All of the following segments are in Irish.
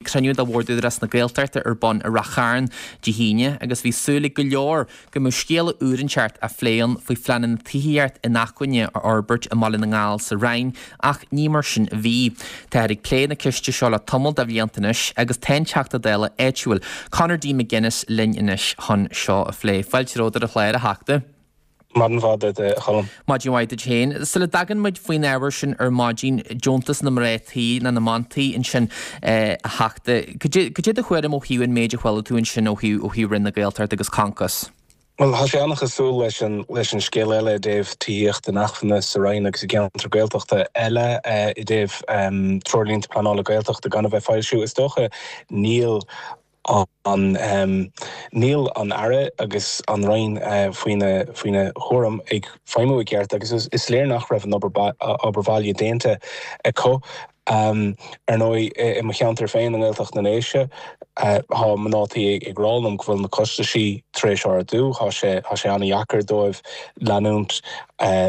cruinniú de Bhord Údarás na Gaeltachta ar bun i Rath Chairn Dé hAoine agus bhí súil ag go leor go mbeadh scéala úr inteacht á phlé ann faoi phleananna tithíocht inacmhainne a fhorbairt i mBaile na nGall sa Rinn ach ní mar sin a bhí. Táthar ag plé na ceiste seo le tamall de bhlianta anois agus tá an Teachta Dála áitiúil, Conor D McGuinness linn anois chun seo a phlé. Fáilte romhat ar an chlár, a Theachta. Maidin mhaith duit, a Choilm. Maidin mhaith duit féin. Sula dtagann muid faoin ábhar sin ar maidin, deontas na mná tí nó na mban tí ansin, a Theachta, cad é do thuairim ó thaobh an méid a chuala tú ansin ó thaobh ó thaobh Roinn na Gaeltachta agus Concos? Bhuel, tá sé an-chosúil leis an leis an scéal eile i dtaobh tithíocht inacmhainne sa Rinn agus i gceantar Gaeltachta eile i dtaobh treoirlínte pleanála Gaeltachta gan a bheith foilsiú. Is dócha níl an Níl an Aire agus an Roinn faoina faoina chúram ag feidhmiú i gceart agus is léir nach raibh an obair bhaile déanta acu. Ar ndóigh, i mo cheantar féin i nGaeltacht na nDéise, tá mná tí ag rá liom go bhfuil na costaisí tar éis ardú, tá sé tá sé an-dheacair dóibh leanúint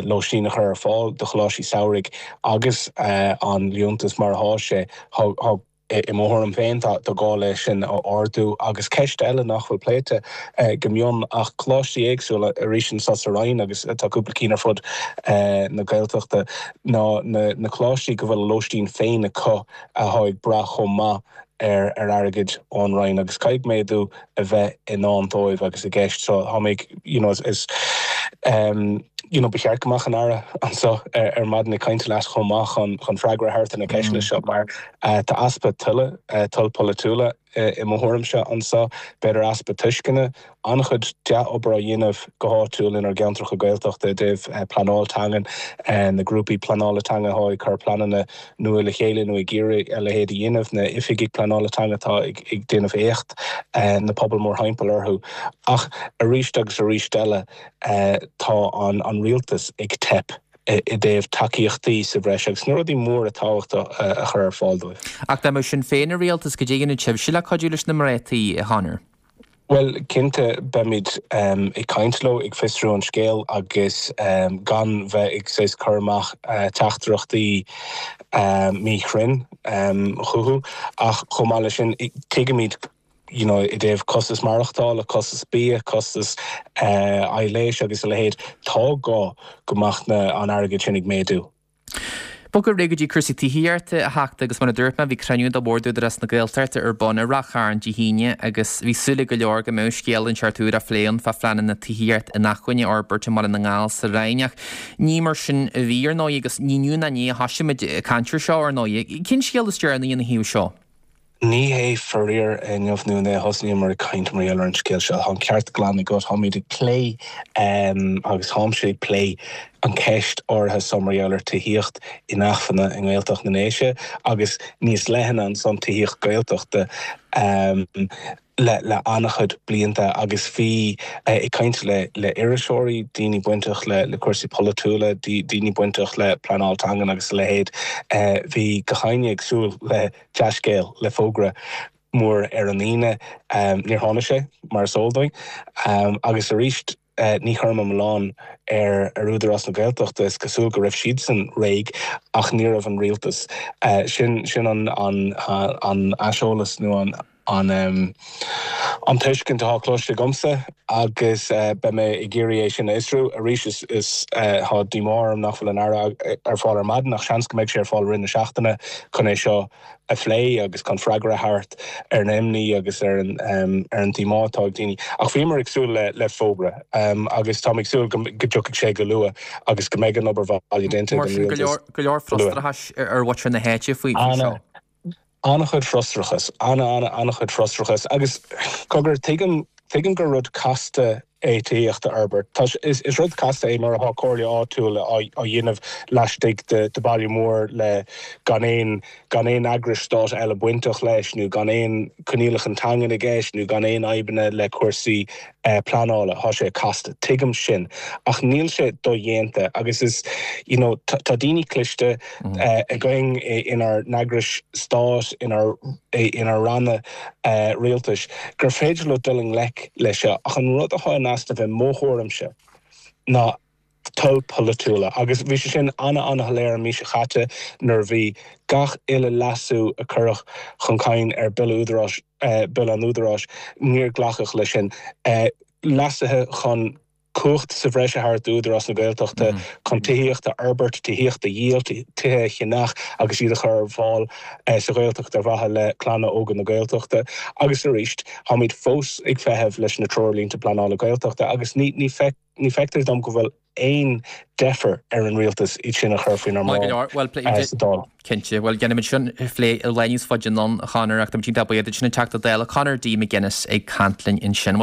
lóistín a chur ar fáil do choláistí samhraidh agus an liúntas mar atá sé. Tá I mo thuairim féin, tá gá leis sin a ardú. Agus ceist eile nach bhfuil pléite go mion ach coláistí éagsúla, arís anseo sa Rinn agus tá cúpla cinn ar fud na Gaeltachta, ná na coláistí go bhfuil a lóistín féin acu atá ag brath chomh maith ar airgead ón Roinn agus caithfidh méadú a bheith i ndán dóibh agus i gceist. So tá mé you know is you know ba cheart go mbeadh an Aire anseo ar maidin ag caint leat chomh maith chun chun freagra a thabhairt ar na ceisteanna seo mar tá easpa toile, toil polaitiúla i mo thuairimse anseo, b'fhéidir easpa tuisceana, an-chuid dea-obair á dhéanamh go háitiúil inár gceantracha Gaeltachta i dtaobh pleanáil teangan, na grúpaí pleanála teanga atá ag cur pleananna nua le chéile nó ag iarraidh a leithéid a dhéanamh, na oifigigh pleanála teanga atá ag déanamh éacht, na pobail mórthimpeall orthu. Ach arís agus arís eile tá an rialtas ag teip i dtaobh tacaíochtaí sa bhreis agus na rudaí móra tábhachtacha a chur ar fáil dóibh. Ach dá mbeadh Sinn Féin i rialtas, cad é a dhéanfadh sibhse le cuidiú leis na mná tí, a Chonor? Bhuel, cinnte, beimid ag caint leo, ag fiosrú an scéil agus gan bheith ag saghas cur amach teachtaireachtaí míchruinn chucu. Ach chomh maith leis sin, tuigimid you know i dtaobh costas maireachtála, costas bia, costas aghaidh leighis agus a leithéid, tá gá go mbeadh an airgead sin ag méadú. Bogadh ar aghaidh go dtí cúrsaí tithíochta, a Theachta, agus mar a dúirt mé, bhí cruinniú de Bhord Údarás na Gaeltachta ar bun i Rath Chairn Dé hAoine agus bhí súil ag go leor go mbeadh scéal inteacht úr á phlé ann fá phleananna tithíocht inacmhainne a fhorbairt i mBaile na nGall sa Rinn ach ní mar sin a bhí, ar ndóigh, agus ní inniu ná inné a thosaigh muid ag caint ar seo, ar ndóigh. Cén scéal is deireanaí ina thaobh seo? Ní hé faraor inniu nó inné a thosnaíomar ag caint mar gheall ar an scéal seo. Tá an ceart glan agat. Táimid ag plé agus táimse ag plé an cheist áirithe seo mar gheall ar tithíocht inacmhainne i nGaeltacht na nDéise agus níos leithne ansan tithíocht Gaeltachta. Le an-chuid blianta agus bhí ag caint le le iriseoirí, daoine bainteach le le cúrsaí polaitiúla, daoine bainteach le pleanáil teangan agus a leithéid, bhí gach éinne ag súil le dea-scéal, le fógra mór ar an Aoine. Níor tháinig sé, mar is eol dúinn. Agus arís, ní chuirim an milleán ar ar Údarás na Gaeltachta, is cosúil go raibh siadsan réidh ach ní raibh an rialtas. Sin sin an an an aiseolas nó an an an tuiscint atá cloiste agamsa agus beidh mé ag iarraidh é sin a fhiosrú. Arís is is tá díomá orm nach bhfuil an Aire ar fáil ar maidin ach seans go mbeidh sé ar fáil i rith na seachtaine chun é seo a phlé agus chun freagra a thabhairt ar an imní agus ar an ar an díomá atá ag daoine. Ach bhíomar ag súil le le fógra agus táim ag súil go go dtiocfaidh sé go luath agus go mbeidh an obair bhaile déanta ag an rialtas go leor frustrachais ar mhuintir na háite faoi seo. An-chuid frustrachais, an-an-an-chuid frustrachais agus cogar, tuigim tuigim gur rud casta é tithíocht a fhorbairt. Tá sé, is, is rud casta é nuair atá comhairle áitiúil á, á dhéanamh laistigh de, de baile mór le gan aon, gan aon eagrais stáit eile bainteach leis nó gan aon coinníollacha teangan i gceist nó gan aon fhadhbanna le cúrsaí pleanála. Tá sé casta. Tuigim sin. Ach níl sé dodhéanta agus is, you know, tá, tá daoine cliste againn inár n-eagrais stáit, inár, inár ranna rialtais gur féidir leo dul i ngleic leis seo. Ach an rud atá in easnamh i mo thuairimse ná. toil polaitiúla. Agus bhí sé sin ana-ana-shoiléir an mhí seo chaite nuair a bhí gach uile leasú a cuireadh chun cinn ar Bille Údaráis, Bille an Údaráis, níor glacadh leis sin. Leasuithe chun cumhacht sa bhreis a thabhairt d'Údarás na Gaeltachta chun tithíocht a fhorbairt, tithíocht a dhíol, tithe a cheannach agus iad a chur ar fáil sa Ghaeltacht ar mhaithe le clanna óga na Gaeltachta. Agus arís, táimid fós ag feitheamh leis na Treoirlínte Pleanála Gaeltachta agus ní feictear dom go bhfuil aon deifir ar an Rialtas iad sin a chur faoinár mbráid sa Dáil. Cinnte. Bhuel, déanfaimid sin a phlé i lá níos faide anonn, a Chonor, ach táimid iontach buíoch duit, sin an Teachta Dála Conor D. McGuinness ag caint linn ansin.